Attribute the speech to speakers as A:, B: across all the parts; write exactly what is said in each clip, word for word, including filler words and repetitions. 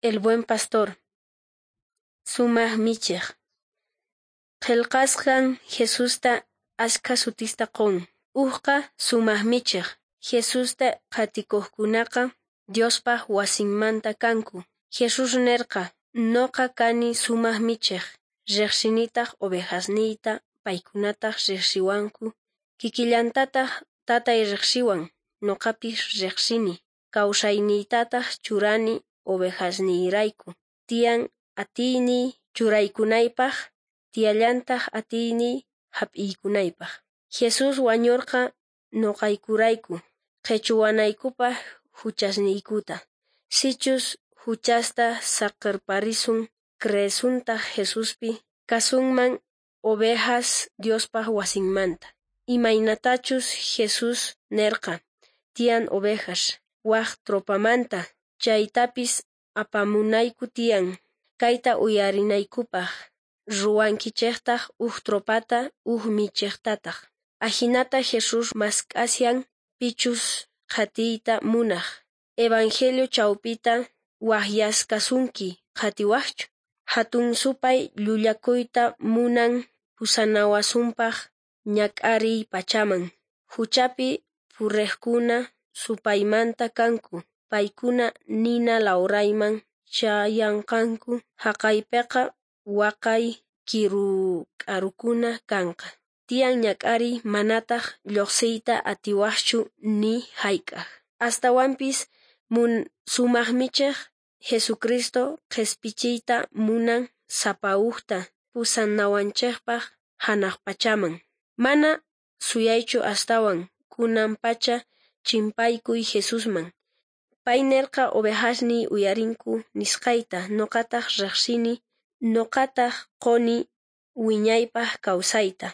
A: El buen pastor. Sumaj michej. Qhelqasqan Jesusta ashkha sutista qon. Ujqa sumaj michej. Jesusta qhatikojkunaqa Diospaj wasinmanta kanku. Jesús nerqa: Noqa kani sumaj michej, rejsinitaj ovejasniyta, paykunataj rejsiwanku. Kikillantataj Tatay rejsiwan, noqapis rejsini. Kawsayniytataj churani ovejasniyrayku. Tiyan atiyniy churaykunaypaj, tiyallantaj atiyniy jap'iykunaypaj. Jesús wañorqa noqaykurayku, qhechuwanaykupaj juchasniykuta. Sichus juchasta saqerparisun, creesuntaj Jesuspi, kasunman ovejas Diospaj wasinmanta. Imaynatachus Jesús nerqa, tiyan ovejas waj tropamanta, chaytapis apamunayku tiyan, kayta uyarinaykupaj. Ruwankichejtaj uj tropata, uj michejtataj. Ajinata Jesús mask'ashan pichus qhatiyta munaj. Evangelio chawpita wajyaskasunki, qhatiwajchu. Jatun supay llullakuyta munan pusanawasunpaj ñak'ariy pachaman. Juchapi purejkuna supaymanta kanku, paykuna nina lawrayman chayanqanku, jaqaypeqa waqay kiru k'arukuna kanqa. Tiyan ñak'ariy manataj llojsiyta atiwajchu ni jayk'aj. Astawanpis mun sumaj michej Jesucristo qhespichiyta munan sapa ujta pusanawanchejpaj janaj pachaman. Mana suyaychu astawan kunan pacha chimpaykuy Jesusman. Pay nerqa ovejasniy uyarinku nisqayta, noqataj rejsini, noqataj qoni wiñaypaj kawsayta.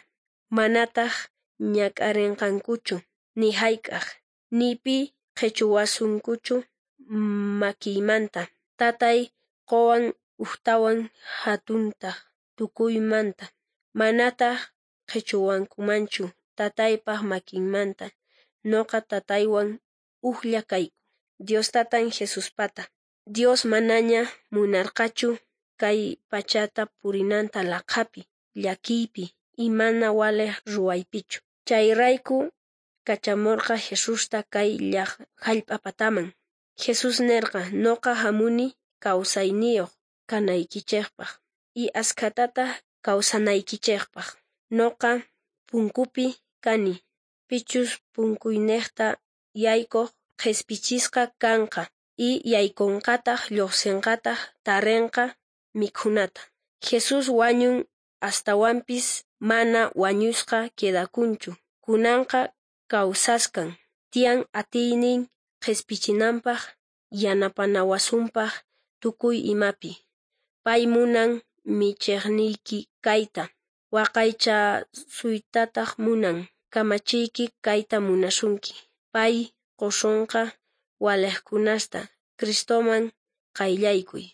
A: Manataj ñak'arenqankuchu ni jayk'aj, ni pi qhechuwasunkuchu makiymanta. Tatay qowan ujtawan jatuntaj tukuymanta. Manataj qhechuwankumanchu Tataypaj makinmanta. Noqa Tataywan ujlla kayku. Dios Tatan Jesuspata. Dios manaña munarqachu kay pachata purinanta laqhapi, llakiypi y mana walej ruwaypichu. Chayrayku kachamorqa Jesusta kay jallp'a pataman. Jesús nerqa: Noqa jamuni kawsayniyoj kanaykichejpaj y ashkhatataj kawsanaykichejpaj. Noqa punkupi kani, pichus punkuynejta yaykoj qhespichisqa kanqa y yaykonqataj llojsenqataj tarenqa mikhunata. Jesús wañun astawanpis mana wañusqa quedakunchu, kunanqa kawsaskan. Tiyan atiynin qhespichinanpaj, yanapanawasunpaj tukuy imapi. Pay munan michejniyki kayta, waqaychasuytataj munan, kamachiyki kayta munasunki. Pay qosonqa walejkunasta. Cristoman qayllaykuy.